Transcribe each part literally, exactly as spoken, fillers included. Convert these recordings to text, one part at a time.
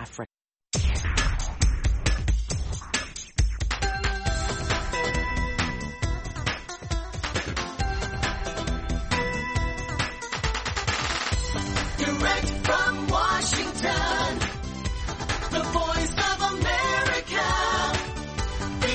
Africa. Direct from Washington, the voice of America, V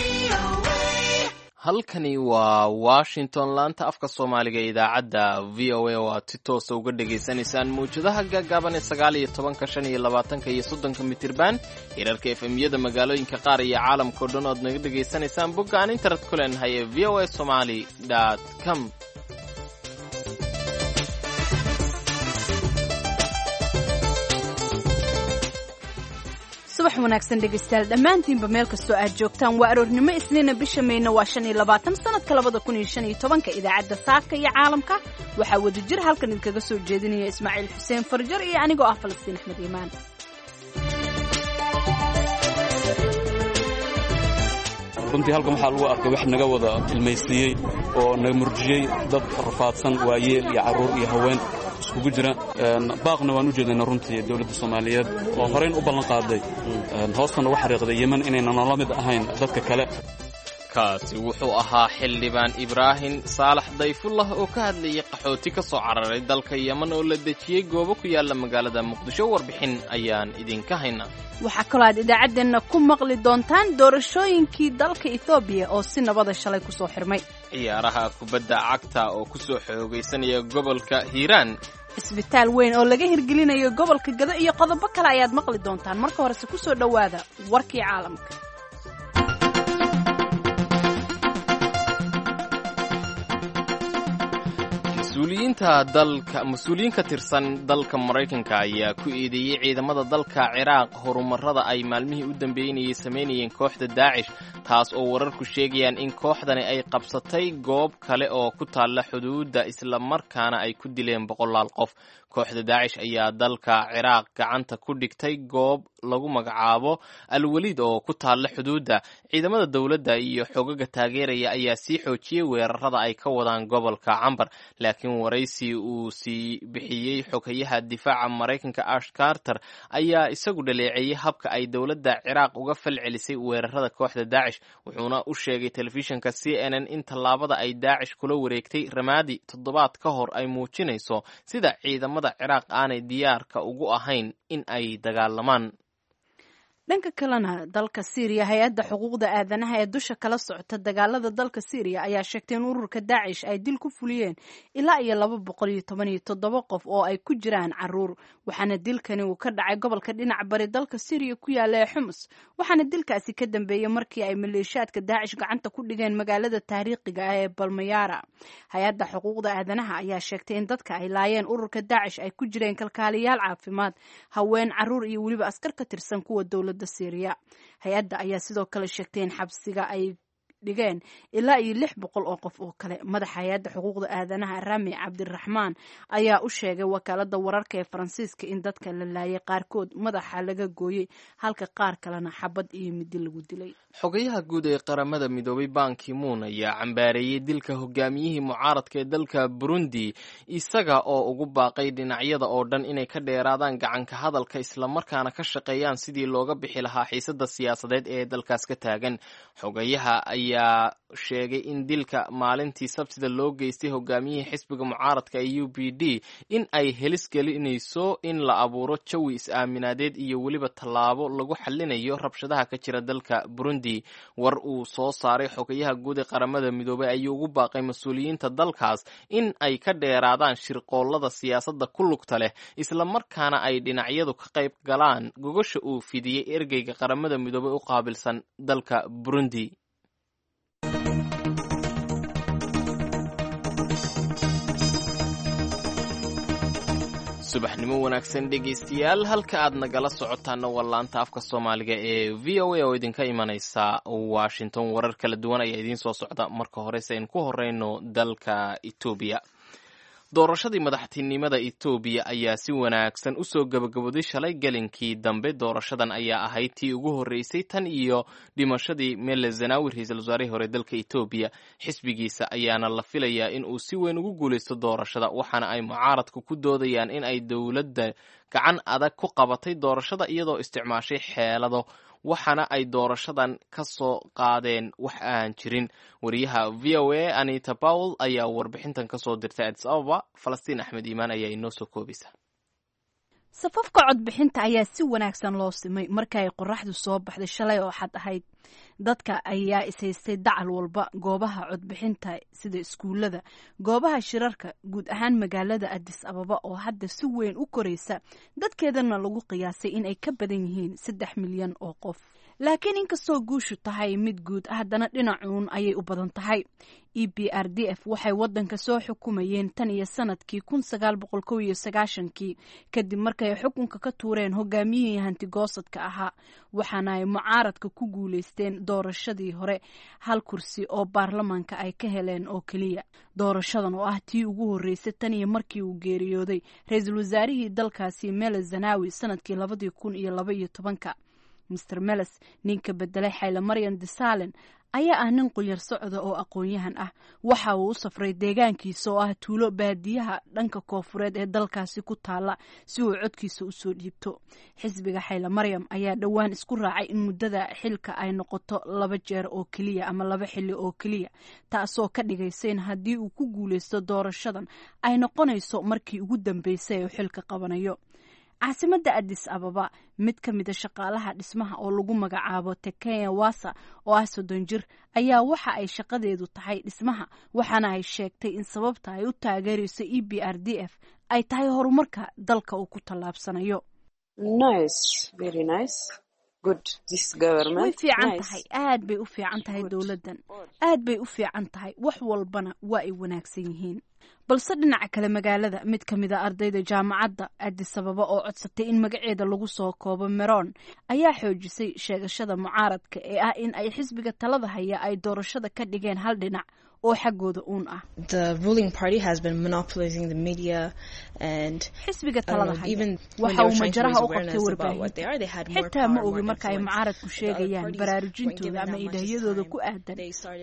O A. Halkani waa Washington, laanta afka Soomaaliga ee idaacadda V O A, oo aad si toosa uga dhegaysanaysaan mawjadaha gaagaaban ee sagaal iyo tobanka, shan iyo labaatanka iyo soddonka mitirban, hirarka F M-yada magaalooyinka qaar iyo caalamka o dhan oad naga dhegaysanaysaan bogga aan internet ku leenahay ee V O A somali com. Subax wanaagsan dhegaystayaal dhammaantiinba, meel kastoo aad joogtaan. Waa aroornimo Isniina, bisha Mayna waa shan iyo labaatan, sanadka labada kun iyo shan iyo tobanka. Idaacadda saaka iyo caalamka waxaa wadajir halkan idinkaga soo jeedinaya Ismaaciil Xuseen Farjar iyo anigoo ah Falastiin Axmed Iimaan. Runtii halkan waxaa lagu arkay wax naga wada ilmaysiiyey oo naga murjiyey, dad rafaadsan, waayeel iyo carruur iyo haween iskugu jira. Baaqna waan u jeedayna runtii dowladda Soomaaliyeed oo horayn u ballan qaaday, hoostana uga xariiqday Yemen inaynan la mid ahayn dadka kale. Kaasi wuxuu ahaa xildhibaan Ibraahim Saalax Dayfullah oo ka hadlayay qaxooti ka soo cararay dalka Yemen oo la dejiyey goobo ku yaalla magaalada Muqdisho. Warbixin ayaan idinka haynaa. Waxaa kaloo aad idaacaddeenna ku maqli doontaan doorashooyinkii dalka Ethoobiya oo si nabada shalay ku soo xirmay, ciyaaraha kubadda cagta oo ku soo xoogaysanaya gobolka Hiiraan, isbitaal weyn oo laga hirgelinayo gobolka Gado iyo qodobo kale ayaad maqli doontaan. Marka horese ku soo dhowaada warkii caalamka. Mas-uuliyiinta dalka, mas-uuliyiin ka tirsan dalka Maraykanka ayaa ku eedeeyey ciidamada dalka Ciraaq horumarrada ay maalmihii u dambeynayay samaynayeen kooxda Daacish, taas oo wararku sheegayaan in kooxdani ay qabsatay goob kale oo ku taalla xuduudda, islamarkaana ay ku dileen boqolaal qof. Kooxda Daacish ayaa dalka Ciraaq gacanta ku dhigtay goob lagu magacaabo Alwaliid oo ku taalla xuduudda. Ciidamada dowladda iyo xogaga taageeraya ayaa sii xoojiyey weerarada ay ka wadaan gobolka Cambar, laakiin waraysi uu sii bixiyey xogayaha difaaca Maraykanka Ash Carter ayaa isagu dhaleeceeyey habka ay dowladda Ciraaq uga falcelisay weerarada kooxda Daacish, wuxuuna u sheegay telefishinka C N N in tallaabada ay Daacish kula wareegtay Ramaadi toddobaad ka hor ay muujinayso sida ciidamada Ciraaq aanay diyaarka ugu ahayn in ay dagaalamaan. Dhanka kalena, dalka Siiriya, hay-adda xuquuqda aadanaha ee dusha kala socota dagaalada dalka Siiriya ayaa sheegtay in ururka Daacish ay dil ku fuliyeen ilaa iyo laba boqol iyo toban iyo toddoba qof oo ay ku jiraan caruur, waxaana dilkani uu ka dhacay gobolka dhinac bari dalka Siiriya ku yaala ee Xumus, waxaana dilkaasi ka dambeeyey markii ay maleeshiyaadka Daacish gacanta ku dhigeen magaalada taariikhiga ah ee Balmayaara. Hay-adda xuquuqda aadanaha ayaa sheegtay in dadka ay laayeen ururka Daacish ay ku jireen kalkaaliyaal caafimaad, haween, caruur iyo weliba askar ka tirsan kuwa dowladda Syria. Hay-adda ayaa sidoo kale sheegtay in xabsiga ay dhigeen ilaa iyo lix boqol oo qof oo kale. Madaxa hay-adda xuquuqda aadanaha Rami Cabdiraxmaan ayaa u sheegay wakaalada wararka ee Faransiiska in dadka la laayay qaarkood madaxa laga gooyey, halka qaar kalena xabad iyo midi lagu dilay. Xogayaha guud ee Qaramada Midoobay Ban Ki-moon ayaa cambaareeyey dilka hogaamiyihii mucaaradka ee dalka Burundi, isaga oo ugu baaqay dhinacyada oo dhan inay ka dheeraadaan gacanka hadalka, islamarkaana ka shaqeeyaan sidii looga bixi lahaa xiisadda siyaasadeed ee dalkaas ka taagan. Xogayaha ayaa sheegay in dilka maalintii Sabtida loo geystay hogaamiyihii xisbiga mucaaradka ee U P D in ay helis gelinayso in la abuuro jawi is-aaminaadeed iyo weliba tallaabo lagu xalinayo rabshadaha ka jira dalka Burundi. War uu soo saaray xogayaha guud ee Qaramada Midoobay ayuu ugu baaqay mas-uuliyiinta dalkaas in ay ka dheeraadaan shirqoollada siyaasadda ku lugta leh, islamarkaana ay dhinacyadu ka qayb galaan gogosha uu fidiyey ergeyga Qaramada Midoobay u qaabilsan dalka Burundi. Subaxnimo wanaagsan dhegaystayaal, halka aad nagala socotaana waa laanta afka Soomaaliga ee V O A oo idinka imanaysa Washington. Warar kala duwan ayaa idiin soo socda. Marka horese aynu ku horeyno dalka Etoobiya. Doorashadii madaxtinimada Etoobiya ayaa si wanaagsan usoo gabagabooday shalay gelinkii dambe. Doorashadan ayaa ahayd tii ugu horreysay tan iyo dhimashadii Mele Zenawi, ra-iisul wasaarihii hore dalka Etoobiya. Xisbigiisa ayaana la filayaa in uu si weyn ugu guuleysto doorashada, waxaana ay mucaaradku ku doodayaan in ay dowladda gacan adag ku qabatay doorashada iyadoo isticmaashay xeelado, waxaana ay doorashadan ka soo qaadeen wax aan jirin. Wariyaha V O A Anita Powell ayaa warbixintan kasoo dirtay Addis Ababa. Falastiin Axmed Iimaan ayaa inoo soo koobaysa. Safafka codbixinta ayaa si wanaagsan loo simay marka ay qoraxdu soo baxday shalay oo xad ahayd. Dadka ayaa ishaystay dacal walba goobaha codbixinta sida iskuulada, goobaha shirarka, guud ahaan magaalada Addis Ababa oo hadda si weyn u koraysa, dadkeedana lagu qiyaasay in ay ka badan yihiin saddex milyan oo qof. Laakiin inkastoo guushu tahay mid guud, haddana dhinacuun ayay u badan tahay. E B R D F waxay wadanka soo xukumayeen tan iyo sanadkii kun sagaal boqol kow iyo sagaashankii kadib markay xukunka ka tuureen hogaamiyihii hantigoosadka ahaa, waxaana ay mucaaradka ku guuleysteen doorashadii hore hal kursi oo baarlamaanka ay ka heleen oo keliya. Doorashadan oo ah tii ugu horreysay tan iyo markii uu geeriyooday ra-iisul wasaarihii dalkaasi Mele Zanawi sanadkii labadii kun iyo laba iyo tobanka. Mister Meles, ninka bedelay Xayle Maryan Desalen, ayaa ah nin qulyar socda oo aqoon-yahan ah. Waxa uu u safray deegaankiisa oo ah tuulo baadiyaha dhanka koofureed ee dalkaasi ku taala si uu codkiisa usoo dhiibto. Xisbiga Xayle Maryam ayaa dhowaan isku raacay in muddada xilka ay noqoto laba jeer oo keliya ama laba xilli oo keliya, taasoo ka dhigaysa in haddii uu ku guuleysto doorashadan ay noqonayso markii ugu dambeysay uu xilka qabanayo. Caasimadda Addis Ababa, mid ka mida shaqaalaha dhismaha oo lagu magacaabo Tekenya Wasa oo ah soddon jir ayaa waxa ay shaqadeedu tahay dhismaha, waxaana ay sheegtay in sababta ay u taageerayso E B R D F ay tahay horumarka dalka uu ku tallaabsanayo. Way fiican tahay, aad bay u fiican tahay dowladdan, aad bay u fiican tahay, wax walbana waa ay wanaagsan yihiin. Balse dhinaca kale magaalada, mid ka mid a ardayda jaamacadda Addis Ababa oo codsatay in magaceeda lagu soo koobo Meron ayaa xoojisay sheegashada mucaaradka ee ah in ay xisbiga talada haya ay doorashada ka dhigeen hal dhinac oo xaggooda uun ah. Xisbiga talada haya waxa uu majaraha u qabtay warbaahinta. Xitaa ma ogi marka ay mucaaradku sheegayaan baraarujintooda ama idaahyadooda ku aadan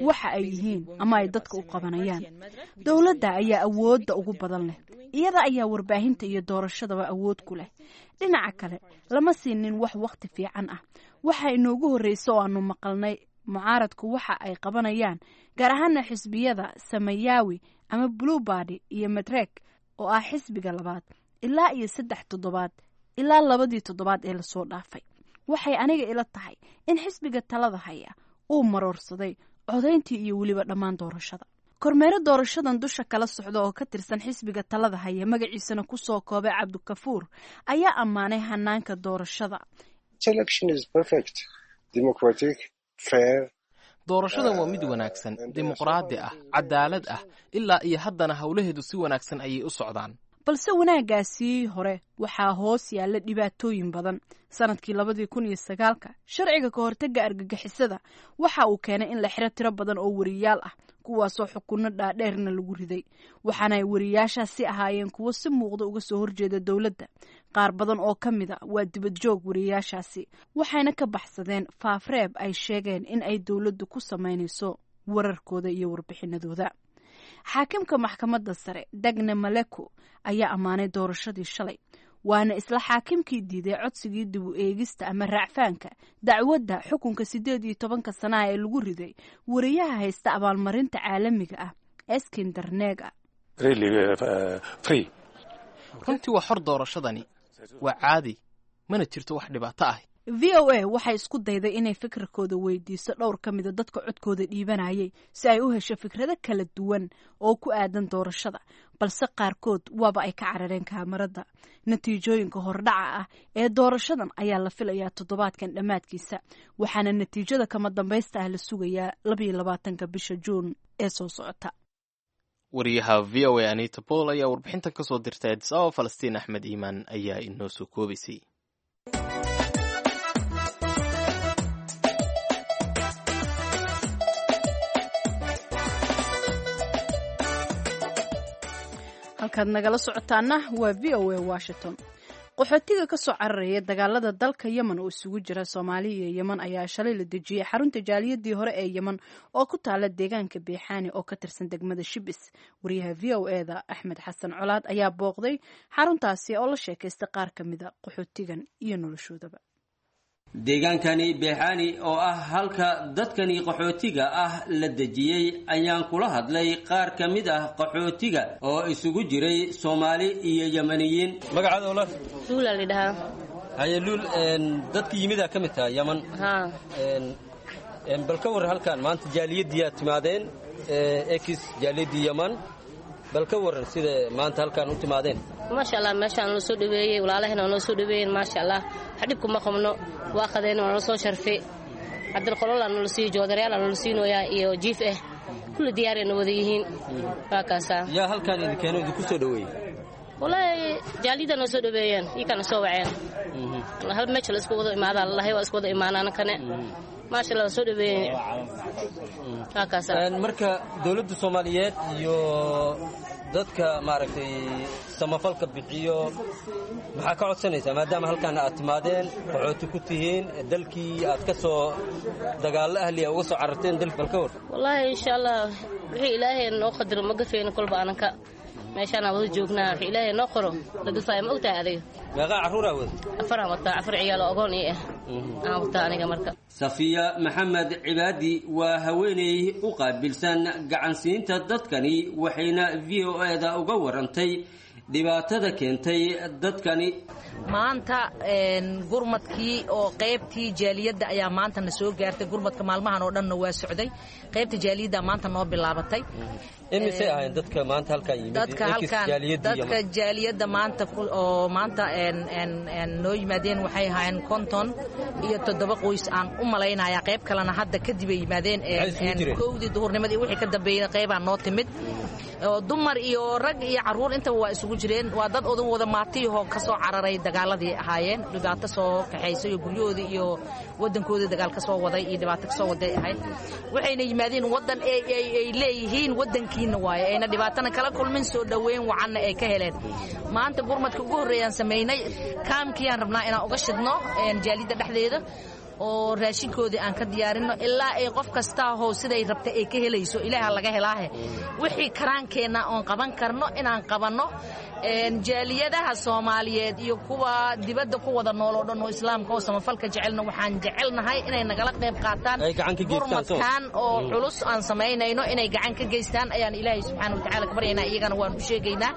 waxa ay yihiin ama ay dadka u qabanayaan. Dowladda ayaa awoodda ugu badan leh, iyada ayaa warbaahinta iyo doorashadaba awood ku leh. Dhinaca kale lama siinin wax waqti fiican ah. Waxa inoogu horreysa oo aanu maqalnay mucaaradku waxa ay qabanayaan, gaar ahaana xisbiyada Samayawi ama Blue Body iyo Madreg oo ah xisbiga labaad, ilaa iyo saddex toddobaad ilaa labadii toddobaad ee lasoo dhaafay. Waxay aniga ila tahay in xisbiga talada haya uu maroorsaday codayntii iyo weliba dhammaan doorashada. Kormeero doorashadan dusha kala socda oo ka tirsan xisbiga talada haya, magaciisana kusoo koobay Cabdikafuur, ayaa ammaanay hanaanka doorashada. Doorashadan waa mid wanaagsan, dimuqraadi ah, cadaalad ah, ilaa iyo haddana howlaheedu si wanaagsan ayay u socdaan. Balse wanaaggaasii hore waxaa hoos yaalla dhibaatooyin badan. Sanadkii labadii kun iyo sagaalka sharciga ka hortagga argagixisada waxa uu keenay in la xiro tiro badan oo wariyaal ah, kuwaasoo xukunno dhaadheerna lagu riday, waxaana ay wariyaashaasi ahaayeen kuwo si muuqda uga soo horjeeda dowladda. Qaar badan oo ka mid a waa dibadjoog wariyaashaasi, waxayna ka baxsadeen faafreeb ay sheegeen in ay dowladdu ku samaynayso wararkooda iyo warbixinadooda. Xaakimka maxkamadda sare Dagne Maleko ayaa ammaanay doorashadii shalay, waana isla xaakimkii diiday codsigii dib u eegista ama raacfaanka dacwadda xukunka siddeed iyo tobanka sanaha ee lagu riday wariyaha haysta abaalmarinta caalamiga ah Eskinder Nega. Runtii waa xor doorashadani, waa caadi, mana jirto wax dhibaato ah. V O A waxay isku dayday inay fikirkooda weydiiso dhowr ka mida dadka codkooda dhiibanayay si ay u hesho fikrado kala duwan oo ku aadan doorashada, balse qaarkood waaba ay ka carareen kaamarada. Natiijooyinka hordhaca ah ee doorashadan ayaa la filayaa toddobaadkan dhammaadkiisa, waxaana natiijada kama dambaysta ah la sugayaa labayo labaatanka bisha Juun ee soo socota. Wariyaha V O A Anita Paul ayaa warbixintan kasoo dirtay Addis Ababa. Falastiin Axmed Iimaan ayaa inoo soo koobaysay. Halkaad nagala socotaana waa V O A Washington. Qaxootiga ka soo cararaya dagaalada dalka Yemen oo isugu jira Soomaaliya iyo Yemen ayaa shalay la dejiyey xarunta jaaliyadii hore ee Yemen oo ku taala deegaanka Beexaani oo ka tirsan degmada Shibis. Wariyaha V O E-da Axmed Xasan Colaad ayaa booqday xaruntaasi oo la sheekaystay qaar ka mida qaxootigan iyo noloshoodaba. Deegaankani Beexaani oo ah halka dadkani qaxootiga ah la dejiyey ayaan kula hadlay qaar ka mid ah qaxootiga oo isugu jiray Soomaali iyo Yemaniyiin. Magacaada walaal? Luula la dhahaa. Haye Luul, dadkii yimidaa ka mid tahay Yaman. Haa. Bal ka warran halkan maanta jaaliyaddiiyaa timaadeen, ex jaaliyaddii Yaman, bal ka warran sida maanta halkan u timaadeen. Maasha Allah, meeshaan noo soo dhaweeyey, walaalahena noo soo dhaweeyeen, maasha Allah. Wax dhib kuma qabno, waa qadeen, waa noo soo sharfay. Cabdilqololaa noola siiyo, joodaryaala noola siinooyaa iyo jiif ah, kulli diyaarayna wada yihiin, waa kaasaa. Yaa halkaan idin keeno, idinku soo dhaweeyey? Wallaahi jaaliyadda noo soo dhaweeyeen, iyakana soo waceen. Hal meesha la isku wada imaadaa lalahay, waa isku wada imaanaana kane. Maasha Allah, waa soo dhaweeyeen, waa kaasaa. Marka dowladda Soomaaliyeed iyo dadka maaragtay samafalka bixiyo maxaa ka codsanaysaa, maadaama halkaana aad timaadeen, qaxooti ku tihiin, dalkii aad ka soo dagaallo ahliya uga soo cararteen dalki, bal ka war? Wallaahi insha Allah wixii Ilaahay noo qadaro ma gafayno, kolba ananka meeshaanaan wada joognaa, wixii Ilaahay noo qoro la gafaayo, ma ogtahay adiga. Meeqaa carruuraa wada? Afaraan wataa, afar ciyaal oo ogoon ii ah aan wataa aniga marka. Safiya Maxamed Cibaadi waa haweeney u qaabilsan gacansiinta dadkani, waxayna V O E-da uga warantay dhibaatada keentay dadkani. Maanta gurmadkii oo qaybtii jaaliyadda ayaa maanta na soo gaartay. Gurmadka maalmahan oo dhanna waa socday, qaybta jaaliyadda maanta noo bilaabatay. Imisay ahayn dadka maanta halkaan yimid? Dadka halkaan, dadka jaaliyadda maanta oo maanta noo yimaadeen waxay ahaayeen konton iyo toddoba qoys aan u malaynayaa. Qayb kalena hadda kadib ay yimaadeen, kowdii duhurnimadii wixii ka dambeeyey qaybaa noo timid. Dumar iyo rag iyo carruur intaba waa isugu jireen. Waa dad odan wada maatiyahoo ka soo cararay dagaaladii ahaayeen, dhibaato soo kaxaysay oo guryahoodii iyo waddankoodii dagaal ka soo waday iyo dhibaato ka soo waday ahayd. Waxayna yimaadeen waddan ay leeyihiin waddankiina waaye, ayna dhibaatana kala kulmin, soo dhoweyn wacanna ay ka heleen. Maanta gurmadka ugu horreeyaan samaynay, kaamkiyaan rabnaa inaan uga shidno jaalidda dhexdeeda oo raashinkoodii aan ka diyaarinno ilaa ay qof kastaahoo siday rabta ay ka helayso. Ilaaha laga helaahe, wixii karaankeenna oon qaban karno inaan qabanno. Jaaliyadaha Soomaaliyeed iyo kuwa dibadda ku wada nool oo dhan oo islaamka oo samafalka jecelna waxaan jecelnahay inay nagala qayb qaataan gurmadkan oo culus aan samaynayno, inay gacan ka geystaan ayaan Ilaahay subxaana watacaala ka baryaynaa, iyagana waan u sheegaynaa.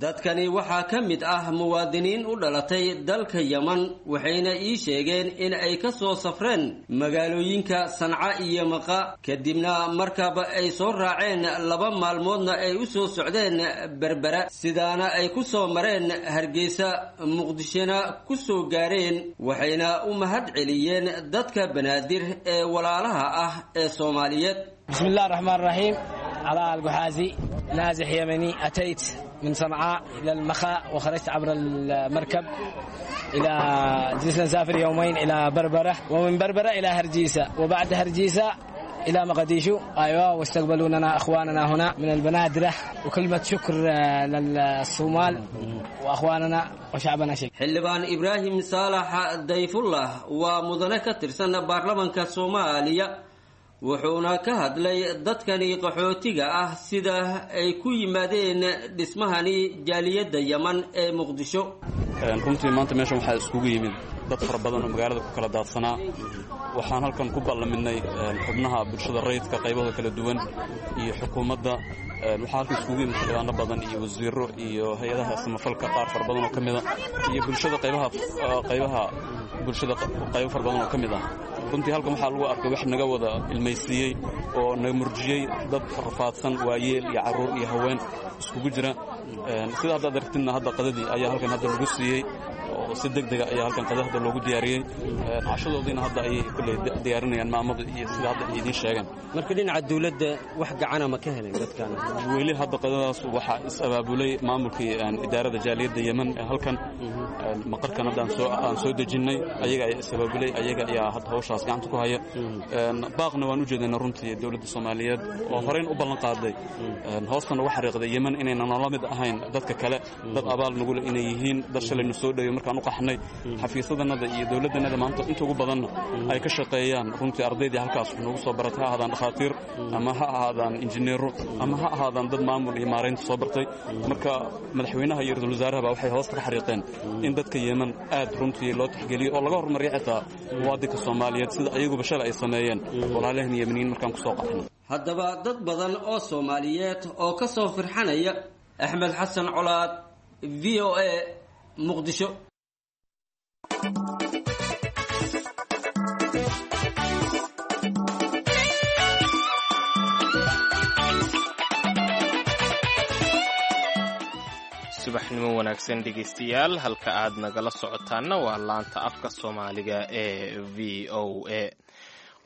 Dadkani waxaa ka mid ah muwaadiniin u dhalatay dalka Yeman, waxayna ii sheegeen in ay ka soo safreen magaalooyinka Sanca iyo Maqa, kadibna markaba ay soo raaceen, laba maalmoodna ay u soo socdeen Berbera, sidaana ay ku soo mareen Hargeysa, Muqdishona ku soo gaareen. Waxayna u mahad celiyeen dadka Banaadir ee walaalaha ah ee Soomaaliyeed. بسم الله الرحمن الرحيم. علاء القحازي، نازح يمني، أتيت من صنعاء إلى المخا وخرجت عبر المركب إلى جلسنا نسافر يومين إلى بربرة، ومن بربرة إلى هرجيسة، وبعد هرجيسة إلى مقديشو. أيوة، واستقبلوننا أخواننا هنا من البنادرة، وكلمة شكر للصومال وأخواننا وشعبنا شيء. Xildhibaan Ibraahim Saalax Dayfullah waa mudane ka tirsan baarlamaanka Soomaaliya, wuxuuna ka hadlay dadkani qaxootiga ah sida ay ku yimaadeen dhismahani jaaliyadda Yeman ee Muqdisho. Runtii maanta meeshan waxaa iskugu yimid dad fara badan oo magaalada ku kala daadsanaa. Waxaan halkan ku ballaminay xubnaha bulshada rayidka qaybahooda kala duwan iyo xukuumadda. Waxaa halkan iskugu yimid xildhibaano badan iyo wasiiro iyo hay-adaha samafalka qaar fara badan oo ka mida iyo bulshada qaybaha qaybaha bulshada qaybo fara badan oo ka mid ah. Runtii halkan waxaa lagu arkay wax naga wada ilmaysiiyey oo naga murjiyey, dad rafaadsan, waayeel iyo carruur iyo haween iskugu jira. Sida haddaad aragtidna hadda qadadii ayaa halkan hadda lagu siiyey oo si deg dega ayaa halkan qada hadda loogu diyaariyey. Cashadoodiina hadda ayay kulley diyaarinayaan maamada iyo sida hadda ay idiin sheegeen. Marka dhinaca dawladda wax gacana ma ka helen dadkan? Weli hadda qadadaas waxaa is abaabulay maamulkii idaarada jaaliyadda Yemen ee halkan maqarkan hadda aan soo aan soo dejinnay, ayaga ayaa is abaabulay, ayaga ayaa hadda hawshaas gacanta ku haya. Baaqna waan u jeedaynaa runtii dawladda Soomaaliyeed oo horeyn u ballan qaaday, hoostana uga xariiqday Yemen inayna noola mid ahayn dadka kale, dad abaal nugule inay yihiin, dad shalay nu soo dhoweeyey markaan u qaxnay, xafiisadanada iyo dowladdanada maanta inta ugu badanna ay ka shaqeeyaan runtii ardaydii halkaas wax noogu soo baratay, ha ahaadaan dhakhaatiir ama ha ahaadaan injineero ama ha ahaadaan dad maamul iyo maaraynta soo bartay. Marka madaxweynaha iyo ra-iisul wasaarahaba waxay hoosta ka xariiqeen in dadka Yemen aad runtii loo tixgeliyo oo laga horumariyo xitaa muwaadinka Soomaaliyeed, sida ayaguba shalay ay sameeyeen walaalaheen Yemeniyiin markaan kusoo qaxnay. Haddaba dad badan oo Soomaaliyeed oo ka soo firxanaya. Axmed Xasan Colaad, V O A, Muqdisho. Subaxnimo wanaagsan dhegaystayaal, halka aad nagala socotaanna waa laanta afka Soomaaliga ee V O A.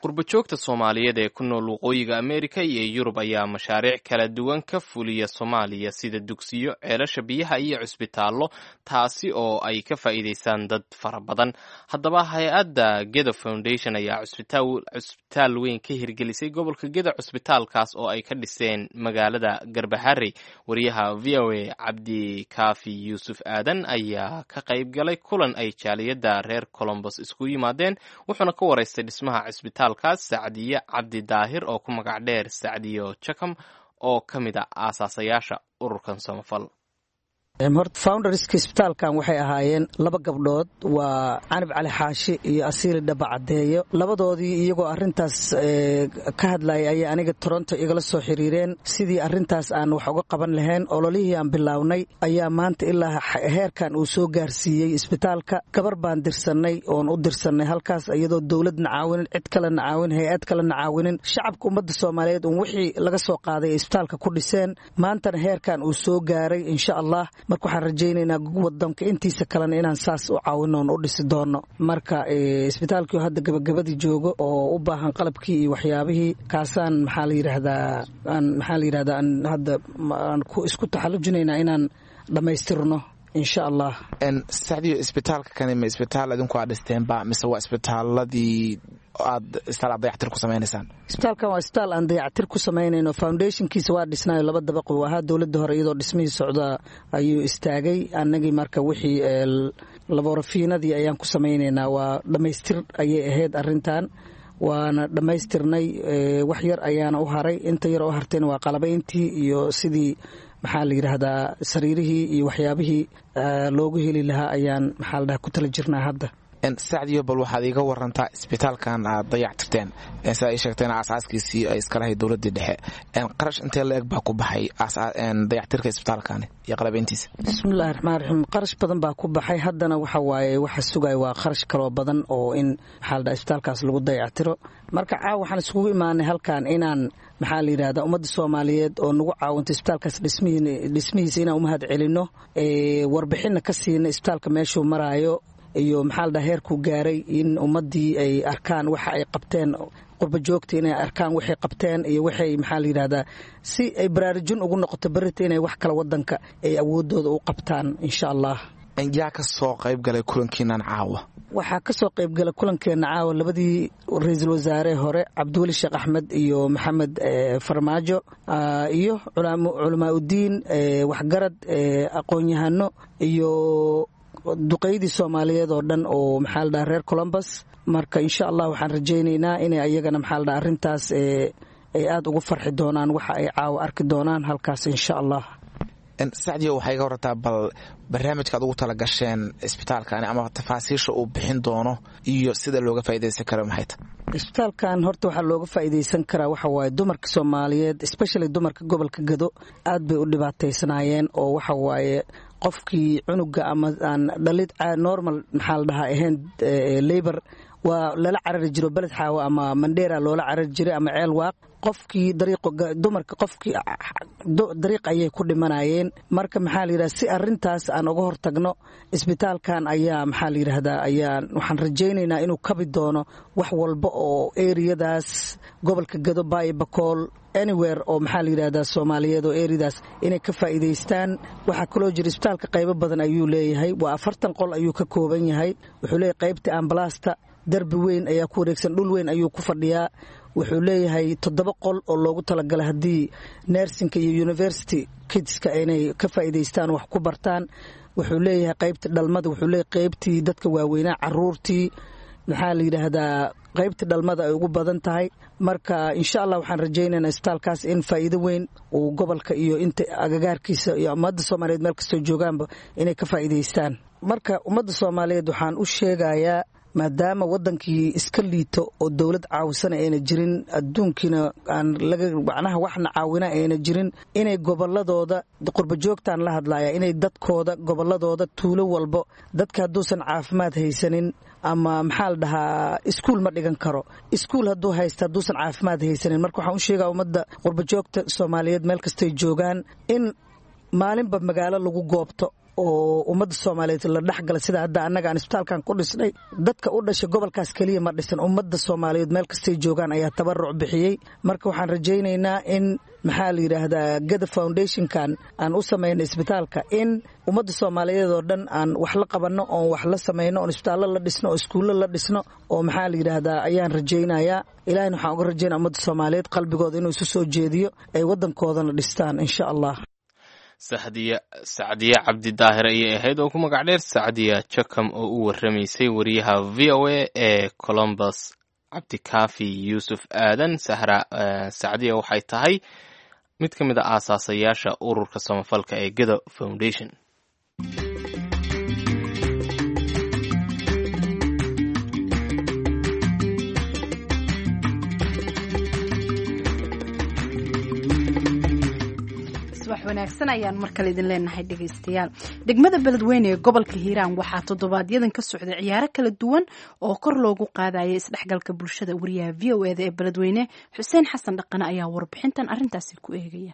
Qurbajoogta Soomaaliyeed ee ku nool waqooyiga Ameerika iyo Yurub ayaa mashaariic kala duwan ka fuliya Soomaaliya, sida dugsiyo, ceelasha biyaha iyo cusbitaallo, taasi oo ay ka faa'iidaystaan dad fara badan. Haddaba hay-adda Gedo Foundation ayaa cusbitaal weyn ka hirgelisay gobolka Gedo, cusbitaalkaas oo ay ka dhiseen magaalada Garbaharey. Wariyaha V O A Cabdikaafi Yuusuf Aadan ayaa ka qayb galay kulan ay jaaliyadda reer Colombos isku yimaadeen, wuxuuna ka waraystay dhismaha cusbitaal kaas Sacdiye Cabdi Daahir oo ku magac dheer Sacdiyo Jakam, oo ka mid a aasaasayaasha ururkan samafal. Horta founderska isbitaalkan waxay ahaayeen laba gabdhood, waa Canab Cali Xaashi iyo Asiili Dhaba Caddeeyo. Labadoodii iyagoo arrintaas ka hadlayay ayay aniga Toronto igala soo xiriireen sidii arrintaas aan wax uga qaban lahayn. Ololihii aan bilownay ayaa maanta ilaa heerkan uu soo gaarsiiyey isbitaalka. Gabar baan dirsannay oon u dirsannay halkaas, iyadoo dowladna caawinin, cid kalena caawin, hay-ad kalena caawinin, shacabka ummadda Soomaaliyeed uun wixii laga soo qaaday ay isbitaalka ku dhiseen. Maantana heerkan uu soo gaaray insha Allah. Marka waxaan rajaynaynaa wadanka intiisa kalena inaan saas u caawino oon u dhisi doono. Marka isbitaalkii hadda gabagabadii joogo oo u baahan qalabkii iyo waxyaabihii kaasaan maxaa la yidhaahdaa aan maxaa la yidhahdaa aan hadda aan ku isku taxallujinaynaa inaan dhammaystirno insha Allah. Sacdiyo, isbitaalka kani ma isbitaal idinku aad dhisteenba mise waa isbitaaladii aad isbitaal aad dayactir ku samaynaysaan? Isbitaalkan waa isbitaal aan dayactir ku samaynayno. Foundationkiisa waa dhisnayo, laba dabaq uu ahaa. Dowladda hore iyadoo dhismihii socda ayuu istaagay. Annagii marka wixii laborafiinadii ayaan ku samaynaynaa. Waa dhammaystir ayay ahayd arrintan, waana dhammaystirnay. Wax yar ayaana u haray, inta yar oo hartayna waa qalabayntii iyo sidii maxaa la yidhaahdaa sariirihii iyo waxyaabihii loogu heli lahaa ayaan maxaa la dhahaa ku tala jirnaa hadda. Sacdiyo, bal waxaad iiga warantaa isbitaalkan aad dayactirteen, sida ay sheegteen aasaaskiisii ay iska lahayd dowladdii dhexe, qarash intee la eg baa ku baxay dayactirka isbitaalkani iyo qalabayntiisa? Bismillahi raxmaan raxiim. Qarash badan baa ku baxay. Haddana waxa waaye waxa sugaya waa qarash kaloo badan oo in maxaa la dhaha isbitaalkaas lagu dayactiro. Marka caawa waxaan isugu imaanay halkan inaan maxaa la yidhahdaa ummadda Soomaaliyeed oo nagu caawinta isbitaalkaas dhismihiisa inaan umahad celinno, warbixinna ka siina isbitaalka meeshuu maraayo iyo maxaa la dhaha heerkuu gaaray, in ummaddii ay arkaan waxa ay qabteen, qurba joogta inay arkaan waxay qabteen iyo waxay maxaa la yidhahdaa si ay baraarujin ugu noqoto berrita inay wax kale wadanka ay awoodooda u qabtaan insha Allah. Yaa ka soo qayb galay kulankiinan caawa? Waxaa ka soo qayb galay kulankeena caawa labadii ra-iisul wasaare hore, Cabdiweli Sheekh Axmed iyo Maxamed Farmaajo, iyo culamaa udiin, waxgarad, aqoon-yahano iyo duqeydii Soomaaliyeed oo dhan oo maxaa la dhaha reer Columbus. Marka insha Allah waxaan rajaynaynaa inay ayagana maxaa la dhaha arrintaas ay aada ugu farxi doonaan waxa ay caawa arki doonaan halkaas insha Allah. Sacdiyo, waxay iga warrantaa bal barnaamijka aad ugu tala gasheen isbitaalkani ama tafaasiisha uu bixin doono iyo sida looga faa'iidaysan karo maxay tahay? Isbitaalkan horta waxaa looga faa'iidaysan karaa waxa waaye dumarka Soomaaliyeed, especially dumarka gobolka Gado, aad bay u dhibaataysnaayeen oo waxa waaye qofkii cunuga ama aan dhalid normal maxaa la dhahaa ahayn labor waa lala carari jiro Beled Xaawo ama Mandheera loola carari jiray ama Ceel Waaq. Qofkii dariiqo dumarka qofkii dariiq ayay ku dhimanayeen. Marka maxaa la yidhahdaa si arrintaas aan uga hortagno isbitaalkan ayaa maxaa la yidhaahdaa ayaan waxaan rajaynaynaa inuu kabi doono wax walba oo eriyadaas gobolka Gado, Baay, Bakool, anywhere oo maxaa la yidhahdaa Soomaaliyeed oo eriyadaas inay ka faa'iidaystaan. Waxaa kaloo jira isbitaalka qaybo badan ayuu leeyahay, waa afartan qol ayuu ka kooban yahay. Wuxuu leeyahay qaybta ambalaasta, darbi weyn ayaa ku wareegsan, dhul weyn ayuu ku fadhiyaa. Wuxuu leeyahay toddoba qol oo loogu talagalay haddii nersinka iyo university kidska inay ka faa'iidaystaan wax ku bartaan. Wuxuu leeyahay qaybta dhalmada, wuxuu leeyahay qaybtii dadka waaweynaa, caruurtii, maxaa la yidhaahdaa, qaybta dhalmada ay ugu badan tahay. Marka insha Allah waxaan rajaynaynaa isbitaalkaas in faa'iido weyn uu gobolka iyo inta agagaarkiisa iyo ummadda Soomaaliyeed meel kastoo joogaanba inay ka faa'iidaystaan. Marka ummadda Soomaaliyeed waxaan u sheegayaa, maadaama wadankii iska liito oo dowlad caawisana ayna jirin, adduunkiina aan laga macnaha waxna caawina ayna jirin, inay goboladooda qurbajoogtaan la hadlaya, inay dadkooda goboladooda tuulo walbo dadka hadduusan caafimaad haysanin ama maxaa la dhahaa iskuul ma dhigan karo, iskuul hadduu haysta hadduusan caafimaad haysanin. Marka waxaan u sheegaa ummadda qurbajoogta Soomaaliyeed meel kastay joogaan in maalinba magaalo lagu goobto oo ummadda Soomaaliyeed la dhexgala, sida hadda annaga aan isbitaalkan ku dhisnay. Dadka u dhashay gobolkaas keliya ma dhisan, ummadda Soomaaliyeed meel kastay joogaan ayaa tabaruc bixiyey. Marka waxaan rajaynaynaa in maxaa la yidhaahdaa Gada Foundationkan aan u samaynay isbitaalka in ummadda Soomaaliyeed oo dhan aan wax la qabanno oon wax la samayno oon isbitaallo la dhisno oo iskuullo la dhisno oo maxaa la yidhaahdaa ayaan rajaynayaa. Ilaahina waxaan uga rajaynaa ummadda Soomaaliyeed qalbigooda inuu isu soo jeediyo, ay waddankoodana dhistaan insha Allah. Sacdiya Sacdiya Cabdi Daahir ayay ahayd oo ku magac dheer Sacdiya Jakam oo u warramaysay wariyaha V O A ee Columbus Cabdikaafi Yuusuf Aadan. Sahra, Sacdiya waxay tahay mid ka mid a aasaasayaasha ururka samafalka ee Gado Foundation. Wanaagsan ayaan mar kale idin leenahay dhegaystayaal. Degmada Beledweyne ee gobolka Hiiraan waxaa toddobaadyadan ka socday ciyaaro kala duwan oo kor loogu qaadayay isdhexgalka bulshada. Wariyaha V O E da ee Beledweyne Xuseen Xasan Dhaqane ayaa warbixintan arrintaasi ku eegaya.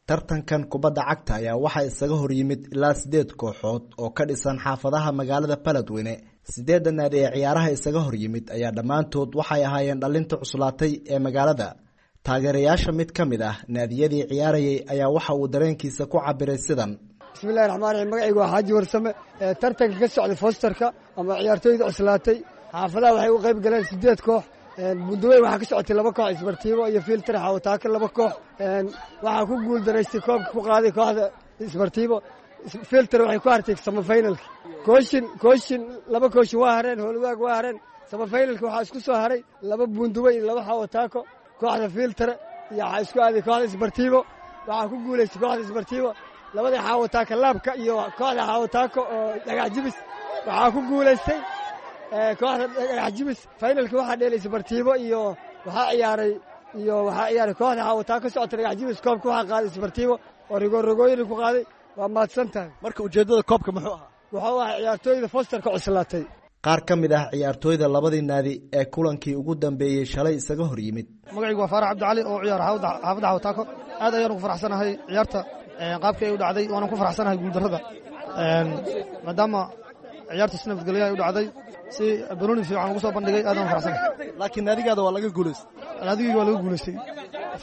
Tartankan kubadda cagta ayaa waxaa isaga hor yimid ilaa sideed kooxood oo ka dhisan xaafadaha magaalada Beledweyne. Sideedda naadi ee ciyaaraha isaga hor yimid ayaa dhammaantood waxay ahaayeen dhalinta cuslaatay ee magaalada. Taageerayaasha mid ka mid ah naadiyadii ciyaarayay ayaa waxa uu dareenkiisa ku cabiray sidan. Bismillahi raxmaan raxiim. Magacaygu waa Xaaji Warsame. Tartanka ka socday fosterka ama ciyaartooyda cuslaatay xaafadaha waxay u qayb galeen sideed koox. Bundaweyn waxaa ka socotay laba koox, Isbartiibo iyo Filter Xawataaka laba koox. Waxaa ku guuldaraystay koobka ku qaaday kooxda Isbartiibo. Filter waxay ku hartay samafinalka. Kooshin kooshin laba kooshin waa hareen, Howlwadaag waa hareen. Samafinalka waxaa isku soo haray laba Bundaweyn iyo laba Xawataako. Kooxda Filter iyo waxaa isku aaday kooxda Isbartiibo. Waxaa ku guulaystay kooxda Isbartiibo labada Xawataaka laabka iyo kooxda Xawataako oo dhagax jibis. Waxaa ku guulaystay kooxda dhagax jibis. Finalka waxaa dheelay Isbartiibo iyo waxaa ciyaaray iyo waxaa ciyaaray kooxda Xawataako socota dhagax jibis. Koobka waxaa qaaday Isbartiibo oo rigoorrigooyin ku qaaday. Waa mahadsan tahay. Marka ujeeddada koobka muxuu ahaa? Wuxuu ahaa ciyaartooyda fosterka cuslaatay. Qaar ka mid ah ciyaartooyda labadii naadi ee kulankii ugu dambeeyey shalay isaga hor yimid. Magacaygu waa Faarax Cabdicali oo ciyaar xaafadda Xawataako. Aad ayaan ugu faraxsanahay ciyaarta qaabkii ay u dhacday, waanan ku faraxsanahay guuldarrada, maadaama ciyaarta si nabadgelyo ay u dhacday, si banooni fiican ugu soo bandhigay. Aad aan u faraxsanahay. Laakiin naadigaada waa laga guulaystay. Naadigayga waa laga guulaystay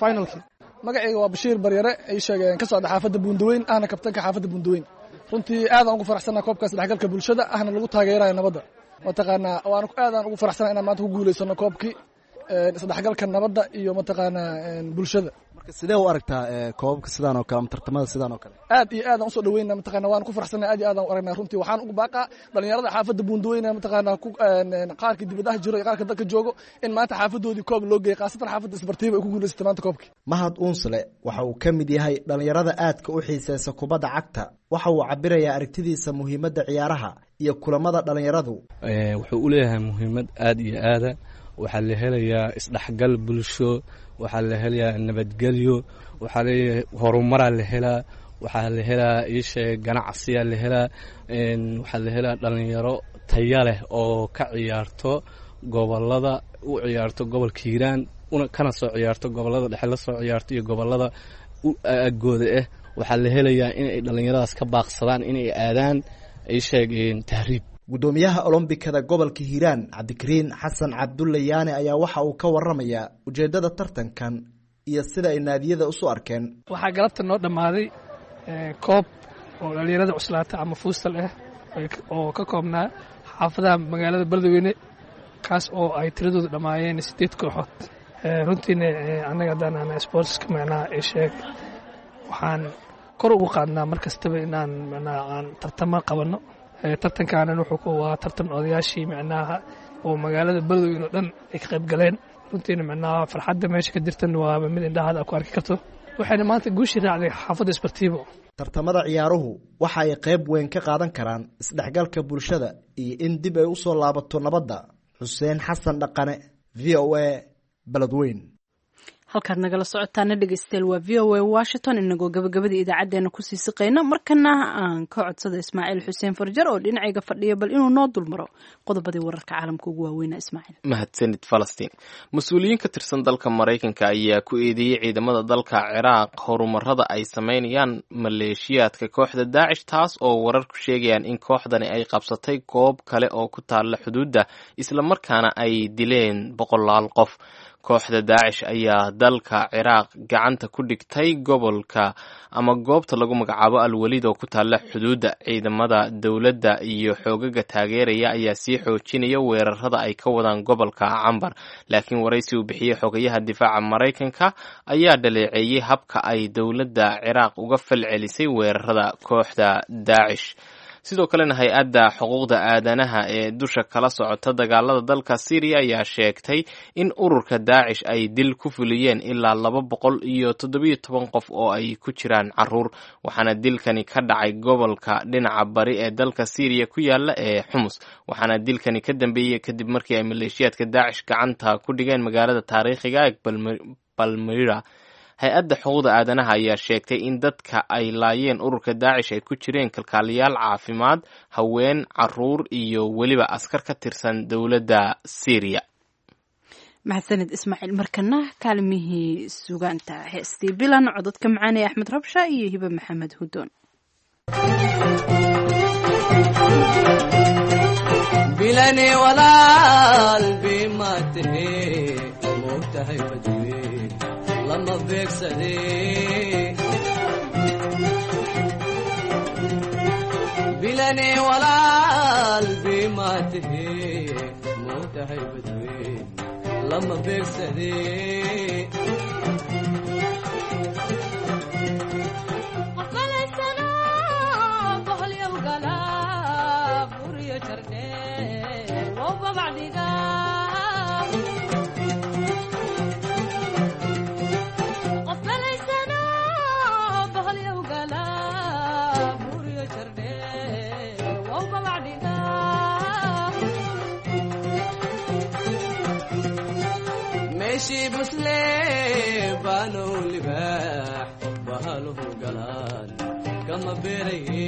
finalkii. Magacayga waa Bashiir Baryare, ay sheegeen ka socda xaafadda Buundaweyn, ahna kabtanka xaafadda Buundaweyn. Runtii aad aan ugu faraxsanahay koobkaas dhexgalka bulshada ahna lagu taageerayo nabadda. Mataqaanaa waan aad aan ugu faraxsanahay inaan maanta ku guulaysano koobkii isdhexgalka nabadda iyo mataqaanaa bulshada. Marka sidee u aragtaa koobabka sidaan oo kale ama tartamada sidaan oo kale? Aad iyo aad aan usoo dhaweyna, mataqaanaa waan ku faraxsanahay, aad iyo aad aan u aragnaa. Runtii waxaan ugu baaqaa dhalinyarada xaafadda Buundaweyne, mataqaanaa qaarka dibadaha jiro iyo qaarka dalka joogo, in maanta xaafadoodii koob loo geeyay, khaasatan xaafadda Isbartiiba ay ku guulaysatay maanta koobkii. Mahad Uunsle waxa uu ka mid yahay dhalinyarada aadka u xiiseysa kubadda cagta. Waxa uu cabirayaa aragtidiisa muhiimadda ciyaaraha iyo kulamada dhalinyaradu. Wuxuu u leeyahay muhiimad aad iyo aada. Waxaa la helayaa isdhexgal bulsho, waxaa la helayaa nabadgelyo, waxaa leeyahay horumaraa la helaa, waxaa la helaa iisheeg ganacsiyaa la helaa, waxaa la helaa dhalinyaro taya leh oo ka ciyaarto gobolada, u ciyaarto gobolka Hiiraan, una kana soo ciyaarto gobolada dhexe, la soo ciyaarto iyo gobolada agooda ah. Waxaa la helayaa inay dhalinyaradaas ka baaqsadaan inay aadaan iisheeg tahriib. Guddoomiyaha Olombikada gobolka Hiiraan Cabdikariin Xasan Cabdulle Yaane ayaa waxa uu ka warramayaa ujeeddada tartankan iyo sida ay naadiyada usu arkeen. Waxaa galabta noo dhammaaday koob oo dhalinyarada cuslaata ama fuustal ah oo ka koobnaa xaafadaha magaalada Beledweyne, kaas oo ay tiradoodu dhammaayeen sideed kooxood. Runtiina annaga haddaan ana sportska macnaha ee sheeg waxaan Kor ugu qaadnaa mar kastaba inaan macnaha aan tartamo qabanno. Tartankaanan wuxuu ku waa tartan odayaashii macnaha oo magaalada Beledweyne oo dhan ay ka qayb galeen. Runtiina macnaha farxadda meesha ka jirtan waa mid indhahaada ku arki karto, waxayna maanta guushii raacday xaafadda Isbartiibo. Tartamada ciyaaruhu waxa ay qayb weyn ka qaadan karaan isdhexgalka bulshada iyo in dib ay u soo laabato nabadda. Xuseen Xasan Dhaqane, V O A, Beledweyne. Halkaad nagala socotaana dhegeystayaal waa V O A Washington. Inagoo gabagabada idaacadeena kusii siqayna, markana aan ka codsada Ismaaciil Xuseen Farjar oo dhinacayga fadhiya bal inuu noo dulmaro qodobadii wararka caalamka ugu waaweynaa. Ismaaciil. Mahadsanid Falastiin. Mas-uuliyiin ka tirsan dalka Maraykanka ayaa ku eedeeyey ciidamada dalka Ciraaq horumarada ay sameynayaan maleeshiyaadka kooxda Daacish, taas oo wararku sheegayaan in kooxdani ay qabsatay goob kale oo ku taalla xuduudda, islamarkaana ay dileen boqolaal qof. Kooxda Daacish ayaa dalka Ciraaq gacanta ku dhigtay gobolka ama goobta lagu magacaabo Alwaliid oo ku taalla xuduudda. Ciidamada dowladda iyo xoogaga taageeraya ayaa sii xoojinaya weerarada ay ka wadaan gobolka Cambar, laakiin waraysi uu bixiyey xogayaha difaaca Maraykanka ayaa dhaleeceeyey habka ay dowladda Ciraaq uga falcelisay weerarada kooxda Daacish. Sidoo kalena hay-adda xuquuqda aadanaha ee dusha kala socota dagaalada dalka Syriya ayaa sheegtay in ururka Daacish ay dil ku fuliyeen ilaa laba boqol iyo toddobiyo toban qof oo ay ku jiraan caruur, waxaana dilkani ka dhacay gobolka dhinaca bari ee dalka Syriya ku yaala ee Xumus, waxaana dilkani ka dambeeyey kadib markii ay maleeshiyaadka Daacish gacanta ku dhigeen magaalada taariikhiga ee Balmira. Hay-adda xuquuqda aadanaha ayaa sheegtay in dadka ay laayeen ururka Daacish ay ku jireen kalkaaliyaal caafimaad, haween, caruur iyo weliba askar ka tirsan dowladda Syriya. Mahadsanid Ismaaciil. Markana kaalmihii sugaanta, heestii Bilan, cododka macaanee Axmed Rabsha iyo Hibe Maxamed Hudoon. Bilani walaal bima tahe moogtahay badwe lama beegsade, bilani walaal bima tahe moogtahay badwe lama beegsade. Meeshii buslee baanow libaax bahaluhu galaan kama beeraye,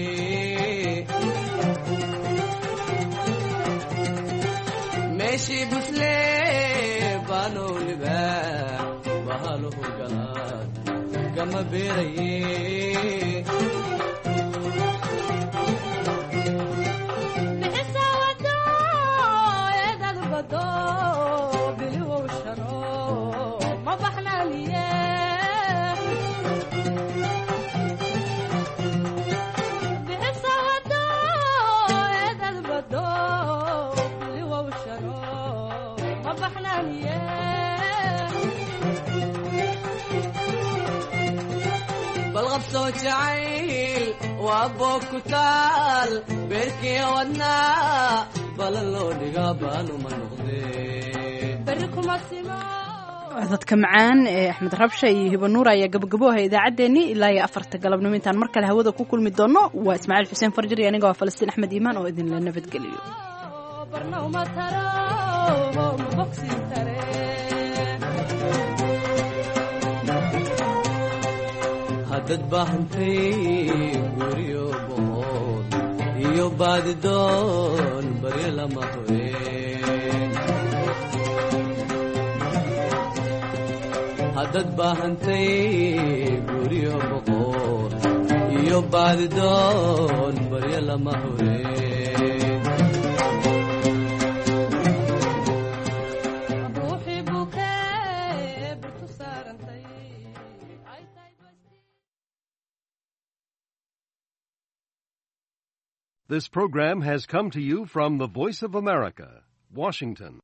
meeshii buslee baanow libaax bahaluhu galaan kama beeraye. Balqabsoo jacayl waa boog ku taal beerkii wadnaa balan loo dhigaa baanuma noqdee. Codadka macaan ee Axmed Rabsha iyo Hiba Nuur ayaa gabagabooha idaacaddeenii ilaa iyo afarta galabnimo. Intaan mar kale hawada ku kulmi doono, waa Ismaaciil Xuseen Farjar iyo aniga waa Falastiin Axmed Iimaan oo idinla nabadgeliyo. Haddad baahantay guryo boqol iyo baadidoon baryo lama hubeen, haddad baahantay guryo boqol iyo baadidoon baryo lama hubeen. This program has come to you from the Voice of America, Washington.